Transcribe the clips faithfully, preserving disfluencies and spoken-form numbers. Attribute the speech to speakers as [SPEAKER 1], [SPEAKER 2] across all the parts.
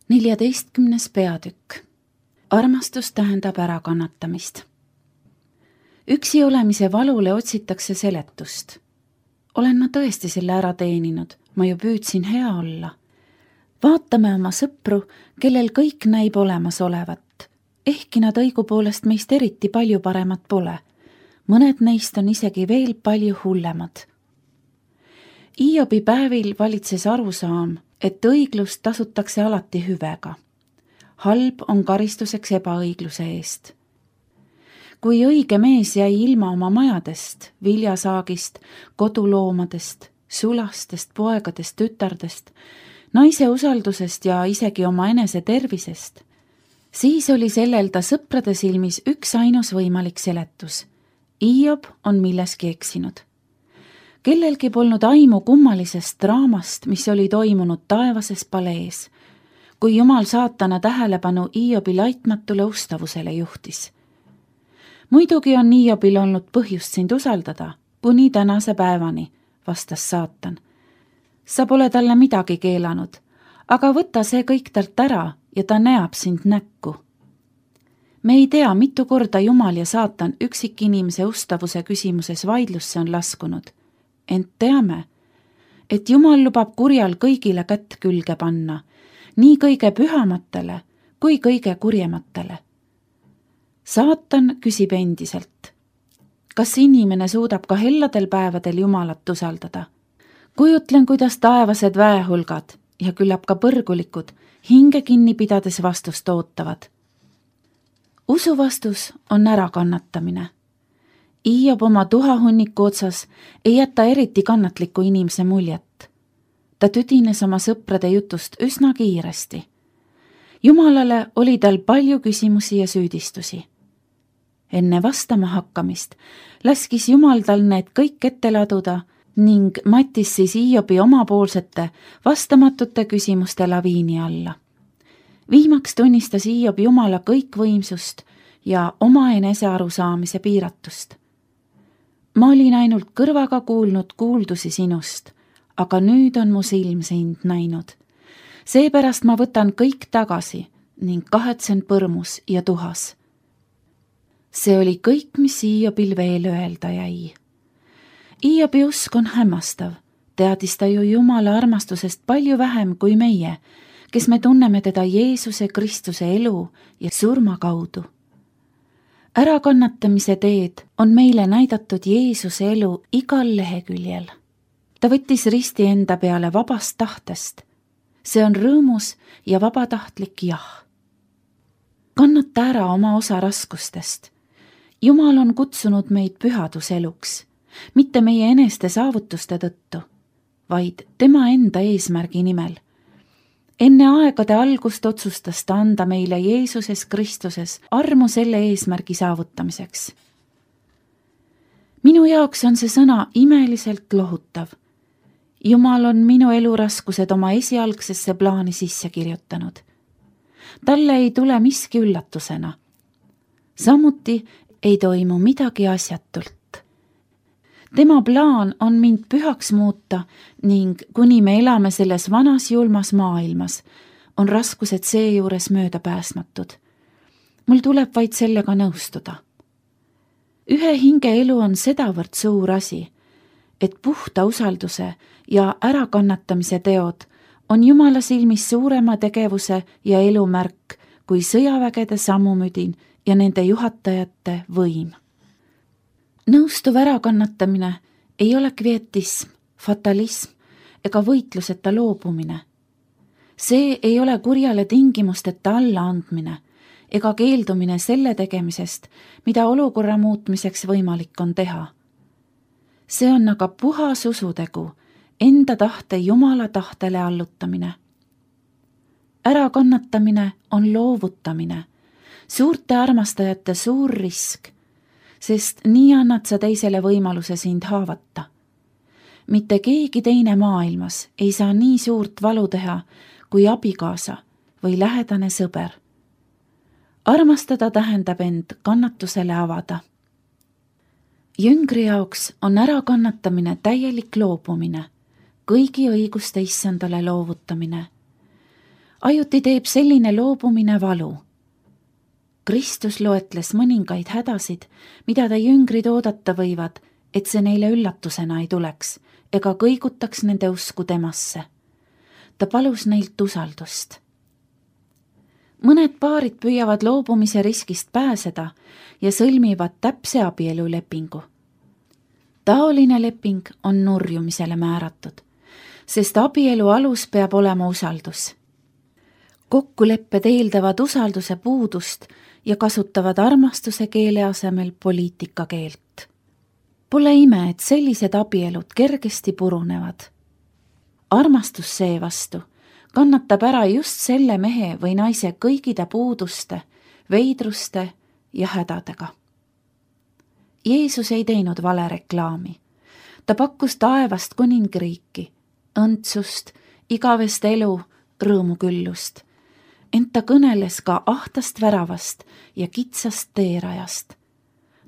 [SPEAKER 1] neljateistkümnes peatükk. Armastus tähendab ärakannatamist. Üksi olemise valule otsitakse seletust. Olen ma tõesti selle ära teeninud, ma ju püüdsin hea olla. Vaatame oma sõpru, kellel kõik näib olemas olevat. Ehkki nad õigupoolest meist eriti palju paremat pole. Mõned neist on isegi veel palju hullemad. Iobi päevil valitses arusaam, et õiglust tasutakse alati hüvega. Halb on karistuseks ebaõigluse eest. Kui õige mees jäi ilma oma majadest, viljasaagist, koduloomadest, sulastest, poegadest, tütardest, naise usaldusest ja isegi oma enese tervisest, siis oli sellel ta sõprade silmis üks ainus võimalik seletus. Iob on milleski eksinud. Kellelgi polnud aimu kummalisest draamast, mis oli toimunud taevases palees, kui Jumal saatana tähelepanu Iobi laitmatule ustavusele juhtis. Muidugi on Iobil olnud põhjust sind usaldada, kuni tänase päevani, vastas saatan. Sa pole talle midagi keelanud, aga võta see kõik talt ära ja ta näeb sind näkku. Me ei tea, mitu korda Jumal ja saatan üksikinimese ustavuse küsimuses vaidlusse on laskunud. Ent teame, et Jumal lubab kurjal kõigile kätt külge panna, nii kõige pühamatele kui kõige kurjematele. Saatan küsib endiselt, kas inimene suudab ka helladel päevadel Jumalat usaldada? Kujutlen, kuidas taevased väehulgad ja küllap ka põrgulikud hinge kinni pidades vastust ootavad. Usu vastus on ärakannatamine. Iob oma tuhahunniku otsas ei jäta eriti kannatliku inimese muljet. Ta tüdines oma sõprade jutust üsna kiiresti. Jumalale oli tal palju küsimusi ja süüdistusi. Enne vastama hakkamist laskis Jumal tal need kõik ette laduda ning mattis siis Iobi omapoolsete vastamatute küsimuste laviini alla. Viimaks tunnistas Iob Jumala kõikvõimsust ja oma enese arusaamise piiratust. Ma olin ainult kõrvaga kuulnud kuuldusi sinust, aga nüüd on mu silm sind näinud. Seepärast ma võtan kõik tagasi ning kahetsen põrmus ja tuhas. See oli kõik, mis Iobil veel öelda jäi. Iobi usk on hämmastav, teadis ta ju Jumala armastusest palju vähem kui meie, kes me tunneme teda Jeesuse Kristuse elu ja surma kaudu. Ärakannatamise teed on meile näidatud Jeesuse elu igal leheküljel. Ta võttis risti enda peale vabast tahtest. See on rõõmus ja vabatahtlik jah. Kannata ära oma osa raskustest. Jumal on kutsunud meid pühaduseluks, mitte meie eneste saavutuste tõttu, vaid tema enda eesmärgi nimel. Enne aegade algust otsustas ta anda meile Jeesuses Kristuses armu selle eesmärgi saavutamiseks. Minu jaoks on see sõna imeliselt lohutav. Jumal on minu eluraskused oma esialgsesse plaani sisse kirjutanud. Talle ei tule miski üllatusena. Samuti ei toimu midagi asjatult. Tema plaan on mind pühaks muuta ning kuni me elame selles vanas julmas maailmas, on raskused seejuures möödapääsmatud. Mul tuleb vaid sellega nõustuda. Ühe hinge elu on sedavõrd suur asi, et puhta usalduse ja ärakannatamise teod on Jumala silmis suurema tegevuse ja elumärk kui sõjavägede sammumüdin ja nende juhatajate võim. Nõustuv ärakannatamine ei ole kvietism, fatalism ega võitluseta loobumine. See ei ole kurjale tingimusteta allaandmine ega keeldumine selle tegemisest, mida olukorra muutmiseks võimalik on teha. See on aga puhas usutegu, enda tahte Jumala tahtele allutamine. Ärakannatamine on loovutamine, suurte armastajate suur risk, sest nii annad sa teisele võimaluse sind haavata. Mitte keegi teine maailmas ei saa nii suurt valu teha kui abikaasa või lähedane sõber. Armastada tähendab end kannatusele avada. Jüngri jaoks on ärakannatamine täielik loobumine, kõigi õiguste issandale loovutamine. ajuti teeb selline loobumine valu. Kristus loetles mõningaid hädasid, mida ta jüngrid oodata võivad, et see neile üllatusena ei tuleks ega kõigutaks nende usku temasse. Ta palus neilt usaldust. Mõned paarid püüavad loobumise riskist pääseda ja sõlmivad täpse abielulepingu. Taoline leping on nurjumisele määratud, sest abielu alus peab olema usaldus. Kokkulepped eeldavad usalduse puudust ja kasutavad armastuse keele asemel poliitika keelt. Pole ime, et sellised abielud kergesti purunevad. Armastus seevastu kannatab ära just selle mehe või naise kõigide puuduste, veidruste ja hädadega. Jeesus ei teinud vale reklaami. Ta pakkus taevast kuningriiki, õndsust, igavest elu, rõõmuküllust. Ent ta kõneles ka ahtast väravast ja kitsast teerajast.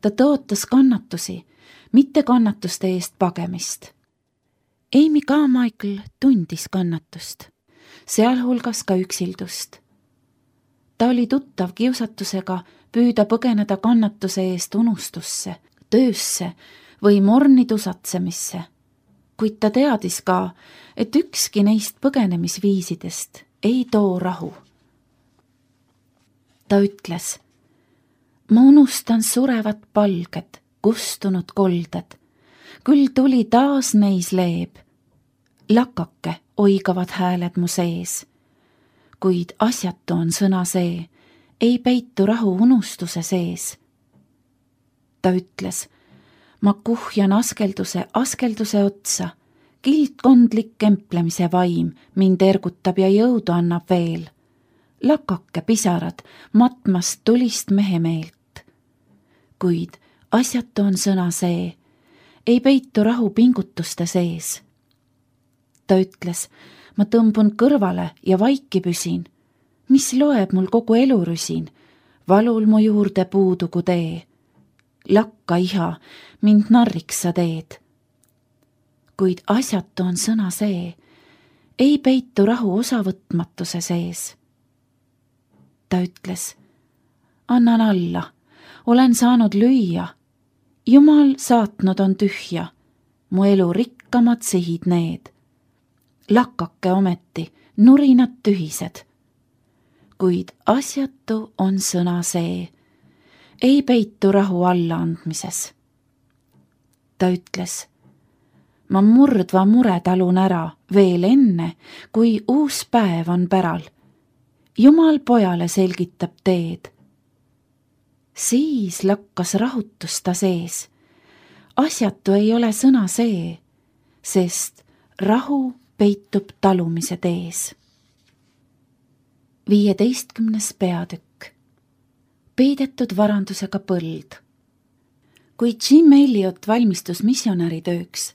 [SPEAKER 1] Ta tõotas kannatusi, mitte kannatuste eest pagemist. Amy Carmichael tundis kannatust, sealhulgas ka üksildust. Ta oli tuttav kiusatusega püüda põgeneda kannatuse eest unustusse, töösse või morni tusatsemisse, kuid ta teadis ka, et ükski neist põgenemisviisidest ei too rahu. Ta ütles, ma unustan surevat palged, kustunud kolded, küll tuli taas neis leeb. Lakake oigavad hääled mu sees, kuid asjatu on sõna see, ei peitu rahu unustuse sees. Ta ütles, ma kuhjan askelduse, askelduse otsa, kildkondlik kemplemise vaim mind ergutab ja jõudu annab veel. Lakake pisarad matmast tulist mehe meelt. Kuid asjatu on sõna see, ei peitu rahu pingutuste sees. Ta ütles, ma tõmbun kõrvale ja vaiki püsin, mis loeb mul kogu elurüsin, valul mu juurde puudugu tee. Lakka iha, mind narriks sa teed. Kuid asjatu on sõna see, ei peitu rahu osavõtmatuse sees. Ta ütles, annan alla, olen saanud lüüa, Jumal saatnud on tühja, mu elu rikkamad sihid need. Lakake ometi, nurinad tühised. Kuid asjatu on sõna see, ei peitu rahu allaandmises. Ta ütles, ma murdva mure talun ära veel enne, kui uus päev on päral. Jumal pojale selgitab teed. Siis lakkas rahutus ta sees. Asjatu ei ole sõna see, sest rahu peitub talumise tees. Viieteistkümnes peatükk. Peidetud varandusega põld. Kui Jim Elliot valmistus missionäri tööks,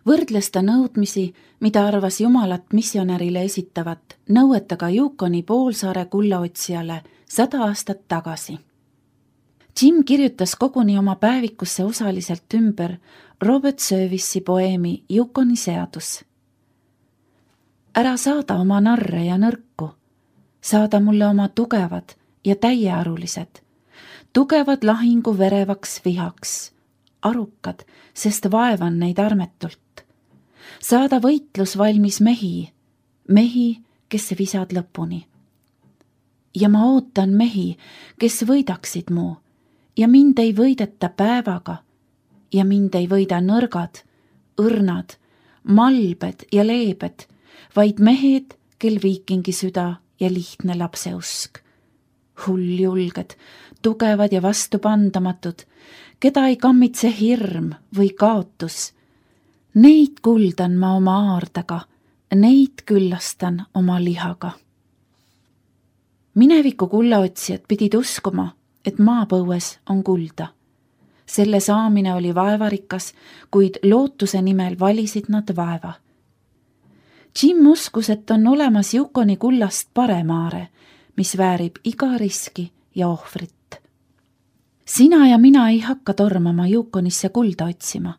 [SPEAKER 1] võrdles ta nõudmisi, mida arvas Jumalat missionärile esitavat, nõuetega Yukoni poolsaare kullaotsijale sada aastat tagasi. Jim kirjutas koguni oma päevikusse osaliselt ümber Robert Service'i poeemi Yukoni seadus. Ära saada oma narre ja nõrku, saada mulle oma tugevad ja täiearulised, tugevad lahingu verevaks vihaks, arukad, sest vaevan neid armetult. Saada võitlus valmis mehi, mehi, kes visad lõpuni. Ja ma ootan mehi, kes võidaksid mu, ja mind ei võideta päevaga, ja mind ei võida nõrgad, õrnad, malbed ja leebed, vaid mehed, kel viikingi süda ja lihtne lapseusk. Hulljulged, tugevad ja vastupandamatud, keda ei kammitse hirm või kaotus. Neid kuldan ma oma aardega, neid küllastan oma lihaga. Mineviku kullaotsijad pidid uskuma, et maapõues on kulda. Selle saamine oli vaevarikas, kuid lootuse nimel valisid nad vaeva. Jim uskus, et on olemas Yukoni kullast paremaare, mis väärib iga riski ja ohvrit. Sina ja mina ei hakka tormama Yukonisse kulda otsima.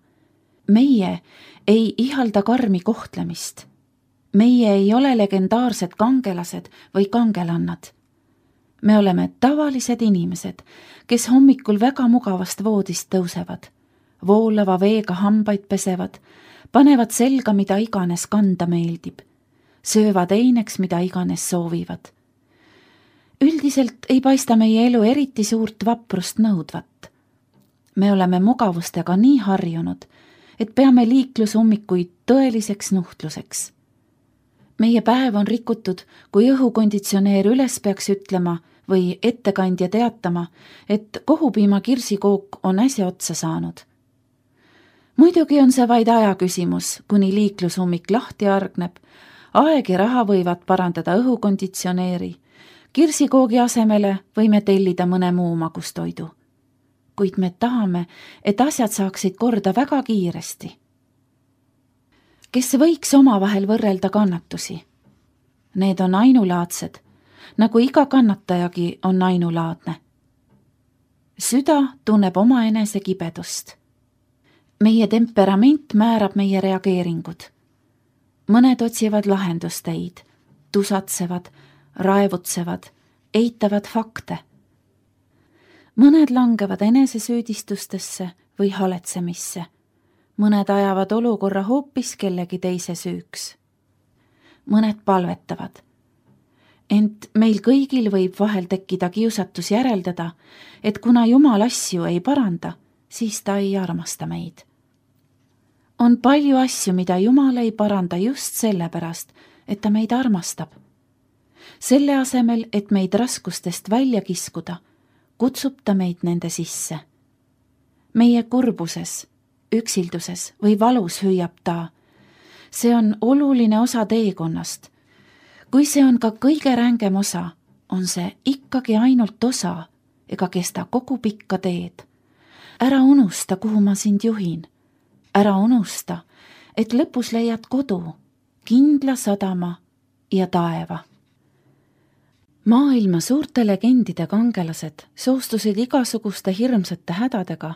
[SPEAKER 1] Meie ei ihalda karmi kohtlemist. meie ei ole legendaarsed kangelased või kangelannad. Me oleme tavalised inimesed, kes hommikul väga mugavast voodist tõusevad, voolava veega hambaid pesevad, panevad selga, mida iganes kanda meeldib, söövad eineks, mida iganes soovivad. Üldiselt ei paista meie elu eriti suurt vaprust nõudvat. Me oleme mugavustega nii harjunud, et peame liiklusummikuid tõeliseks nuhtluseks. Meie päev on rikutud, kui õhukonditsioneer üles peaks ütlema või ettekandja teatama, et kohupiima kirsikook on äsja otsa saanud. Muidugi on see vaid aja küsimus, kuni liiklusummik lahti argneb, aeg ja raha võivad parandada õhukonditsioneeri, kirsikoogi asemele võime tellida mõne muu magustoidu. Kuid me tahame, et asjad saaksid korda väga kiiresti. Kes võiks omavahel võrrelda kannatusi? Need on ainulaadsed, nagu iga kannatajagi on ainulaadne. Süda tunneb oma enese kibedust. Meie temperament määrab meie reageeringud. Mõned otsivad lahendusteid, tusatsevad, raevutsevad, eitavad fakte. Mõned langevad enesesüüdistustesse või haletsemisse. Mõned ajavad olukorra hoopis kellegi teise süüks. Mõned palvetavad. Ent meil kõigil võib vahel tekkida kiusatus järeldada, et kuna Jumal asju ei paranda, siis ta ei armasta meid. On palju asju, mida Jumal ei paranda just sellepärast, et ta meid armastab. Selle asemel, et meid raskustest välja kiskuda, kutsub ta meid nende sisse. Meie kurbuses, üksilduses või valus hüüab ta. See on oluline osa teekonnast. Kui see on ka kõige rängem osa, on see ikkagi ainult osa ega kesta kogu pikka teed. Ära unusta, kuhu ma sind juhin. Ära unusta, et lõpus leiad kodu, kindla sadama ja taeva. Maailma suurte legendide kangelased soostusid igasuguste hirmsate hädadega,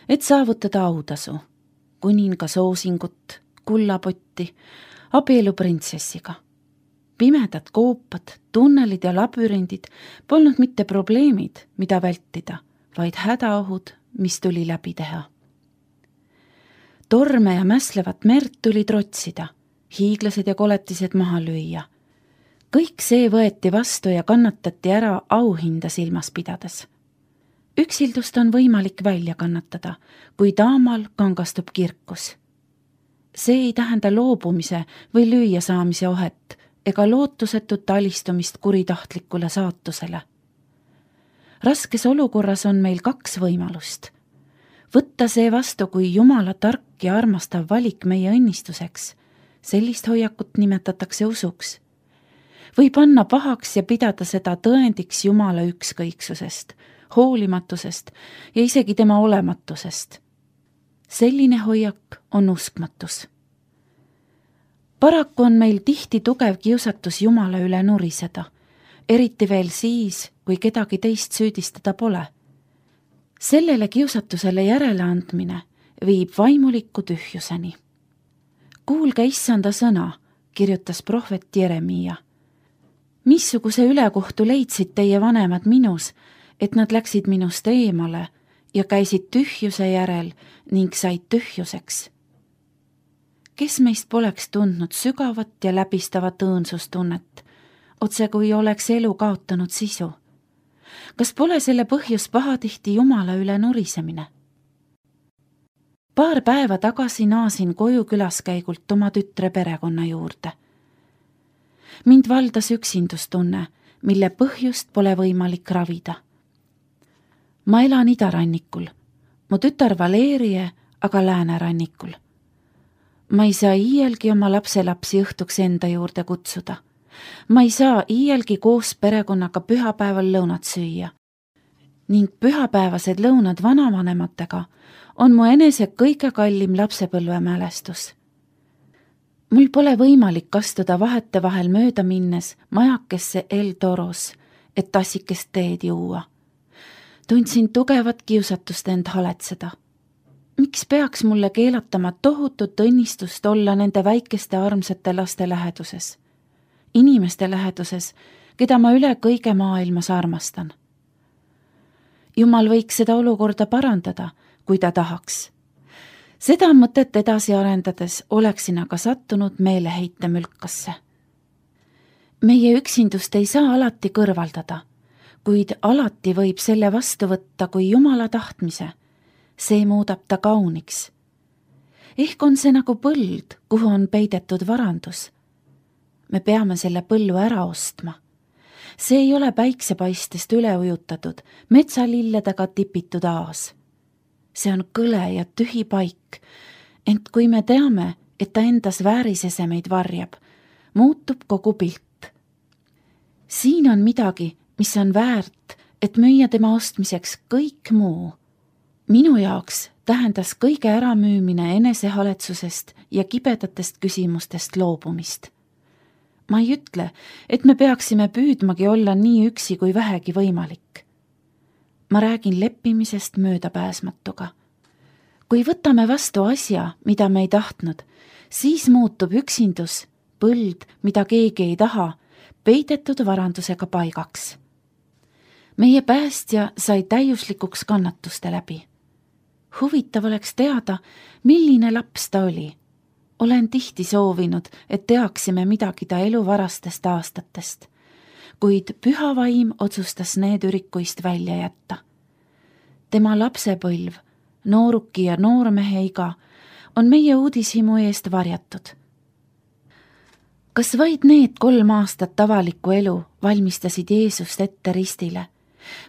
[SPEAKER 1] et saavutada autasu, kuninga soosingut, kullapotti, abieluprintsessiga. Pimedad koopad, tunnelid ja labürindid polnud mitte probleemid, mida vältida, vaid hädaohud, mis tuli läbi teha. Torme ja mäslevat merd tuli trotsida, hiiglased ja koletised maha lüüa. Kõik see võeti vastu ja kannatati ära auhinda silmas pidades. Üksildust on võimalik välja kannatada, kui taamal kangastub kirkus. See ei tähenda loobumise või lüüa saamise ohet ega lootusetut alistumist kuritahtlikule saatusele. Raskes olukorras on meil kaks võimalust. Võtta see vastu kui Jumala tark ja armastav valik meie õnnistuseks. Sellist hoiakut nimetatakse usuks. Või panna pahaks ja pidada seda tõendiks Jumala ükskõiksusest, hoolimatusest ja isegi tema olematusest. Selline hoiak on uskmatus. Paraku on meil tihti tugev kiusatus Jumala üle nuriseda, eriti veel siis, kui kedagi teist süüdistada pole. Sellele kiusatusele järeleandmine viib vaimuliku tühjuseni. Kuulge issanda sõna, kirjutas prohvet Jeremiia. Missuguse ülekohtu leidsid teie vanemad minus, et nad läksid minust eemale ja käisid tühjuse järel ning said tühjuseks? Kes meist poleks tundnud sügavat ja läbistavat õõnsustunnet, otse kui oleks elu kaotanud sisu? Kas pole selle põhjus pahatihti Jumala üle nurisemine? Paar päeva tagasi naasin koju külaskäigult oma tütre perekonna juurde. Mind valdas üksindustunne, mille põhjust pole võimalik ravida. Ma elan idarannikul, mu tütar Valerie aga läänerannikul. Ma ei saa iielgi oma lapselapsi õhtuks enda juurde kutsuda. Ma ei saa iielgi koos perekonnaga pühapäeval lõunat süüa. Ning pühapäevased lõunad vanavanematega on mu enese kõige kallim lapsepõlvemälestus. Mul pole võimalik astuda vahete vahel mööda minnes majakesse El Toros, et tassikest teed juua. Tundsin tugevat kiusatust end haletseda. Miks peaks mulle keelatama tohutut õnnistust olla nende väikeste armsate laste läheduses, inimeste läheduses, keda ma üle kõige maailmas armastan? Jumal võiks seda olukorda parandada, kui ta tahaks. Seda mõtet edasi arendades oleksin aga sattunud meeleheite mülkasse. Meie üksindust ei saa alati kõrvaldada, kuid alati võib selle vastu võtta kui Jumala tahtmise. See muudab ta kauniks. Ehk on see nagu põld, kuhu on peidetud varandus. Me peame selle põllu ära ostma. See ei ole päiksepaistest üle ujutatud, metsalilledega tipitud aas. See on kõle ja tühi paik, ent kui me teame, et ta endas väärisesemeid varjab, muutub kogu pilt. Siin on midagi, mis on väärt, et müüa tema ostmiseks kõik muu. Minu jaoks tähendas kõige äramüümine enesehaletsusest ja kibedatest küsimustest loobumist. Ma ei ütle, et me peaksime püüdmagi olla nii üksi kui vähegi võimalik. Ma räägin leppimisest möödapääsmatuga. Kui võtame vastu asja, mida me ei tahtnud, siis muutub üksindus, põld, mida keegi ei taha, peidetud varandusega paigaks. Meie päästja sai täiuslikuks kannatuste läbi. Huvitav oleks teada, milline laps ta oli. Olen tihti soovinud, et teaksime midagi ta elu varastest aastatest, kuid püha vaim otsustas need ürikuist välja jätta. Tema lapsepõlv, nooruki ja noormehe iga on meie uudishimu eest varjatud. Kas vaid need kolm aastat avalikku elu valmistasid Jeesust ette ristile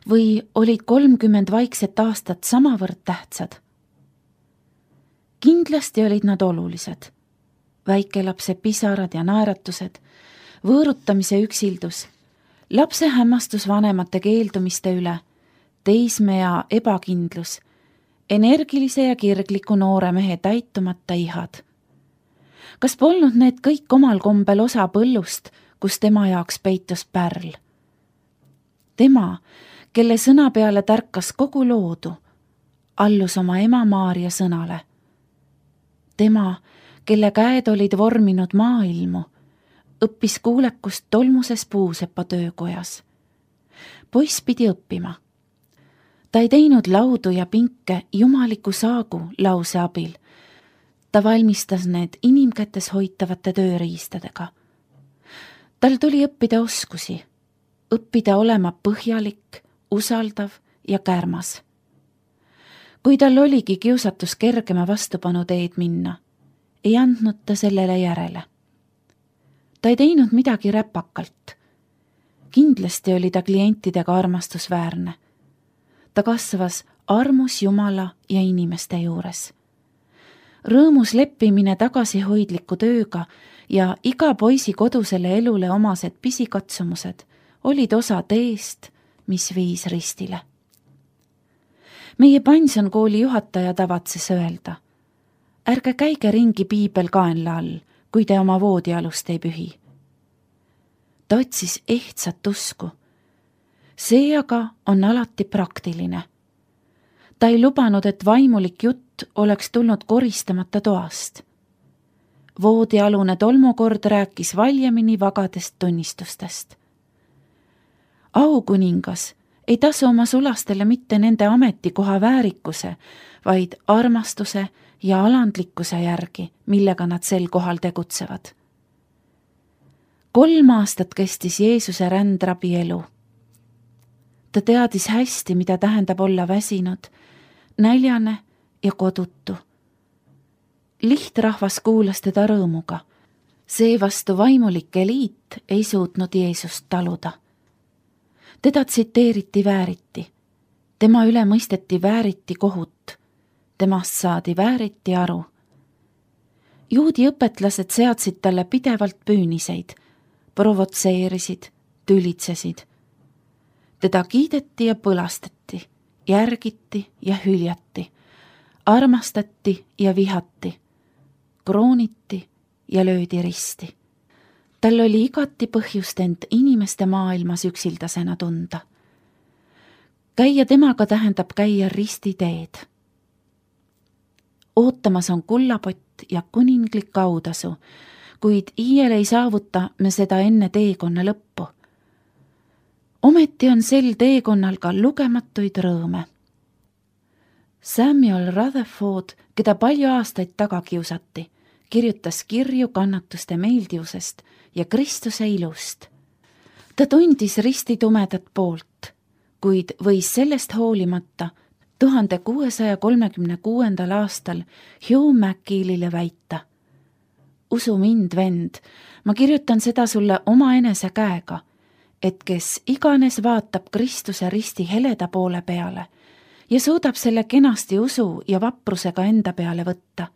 [SPEAKER 1] või olid kolmkümmend vaikset aastat samavõrd tähtsad? Kindlasti olid nad olulised. Väikelapse pisarad ja naeratused, võõrutamise üksildus, lapse hämmastus vanemate keeldumiste üle, teismea ebakindlus, energilise ja kirgliku noore mehe täitumata ihad. Kas polnud need kõik omal kombel osa põllust, kus tema jaoks peitus pärl? Tema, kelle sõna peale tärkas kogu loodu, allus oma ema Maarja sõnale. Tema, kelle käed olid vorminud maailmu, õppis kuulekust tolmuses puusepa töökojas. Poiss pidi õppima. Ta ei teinud laudu ja pinke jumaliku saagu lause abil. Ta valmistas need inimkätes hoitavate tööriistadega. Tal tuli õppida oskusi, õppida olema põhjalik, usaldav ja kärmas. Kui tal oligi kiusatus kergema vastupanu teed minna, ei andnud ta sellele järele. Ta ei teinud midagi räpakalt. Kindlasti oli ta klientidega armastusväärne. Ta kasvas armus Jumala ja inimeste juures. Rõõmus leppimine tagasihoidliku tööga ja iga poisi kodusele elule omased pisikatsumused olid osa teest, mis viis ristile. Meie pensionkooli juhataja tavatses öelda: ärge käige ringi piibel kaenla all, kui te oma voodialust ei pühi. Ta otsis ehtsat usku. See aga on alati praktiline. Ta ei lubanud, et vaimulik jutt oleks tulnud koristamata toast. Voodialune tolmukord rääkis valjemini vagadest tunnistustest. Aukuningas ei tasu oma sulastele mitte nende ametikoha väärikuse, vaid armastuse ja alandlikkuse järgi, millega nad sel kohal tegutsevad. Kolm aastat kestis Jeesuse rändrabi elu. Ta teadis hästi, mida tähendab olla väsinud, näljane ja kodutu. Lihtrahvas kuulas teda rõõmuga. Seevastu vaimulik eliit ei suutnud Jeesust taluda. Teda tsiteeriti vääriti. Tema üle mõisteti vääriti kohut. Temast saadi vääriti aru. Juudi õpetlased seadsid talle pidevalt püüniseid, provotseerisid, tülitsesid. Teda kiideti ja põlastati, järgiti ja hüljati, armastati ja vihati, krooniti ja löödi risti. Tal oli igati põhjust end inimeste maailmas üksildasena tunda. Käia temaga tähendab käia ristiteed. ootamas on kullapott ja kuninglik autasu, kuid iiel ei saavuta me seda enne teekonna lõppu. Ometi on sel teekonnal ka lugematuid rõõme. Samuel Rutherford, keda palju aastaid taga kiusati, kirjutas kirju kannatuste meeldivusest ja Kristuse ilust. Ta tundis risti tumedat poolt, kuid võis sellest hoolimata tuhande kuuesaja kolmekümne kuuendal aastal Hugh McGillile väita. Usu mind, vend, ma kirjutan seda sulle omaenese käega, et kes iganes vaatab Kristuse risti heleda poole peale ja suudab selle kenasti usu ja vaprusega enda peale võtta,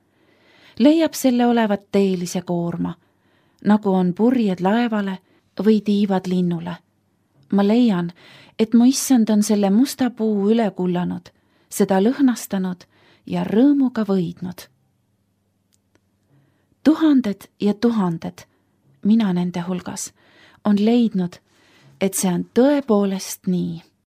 [SPEAKER 1] leiab selle olevat teelise koorma, nagu on purjed laevale või tiivad linnule. Ma leian, et mu issand on selle musta puu üle kullanud, seda lõhnastanud ja rõõmuga võidnud. Tuhanded ja tuhanded, mina nende hulgas, on leidnud, et see on tõepoolest nii.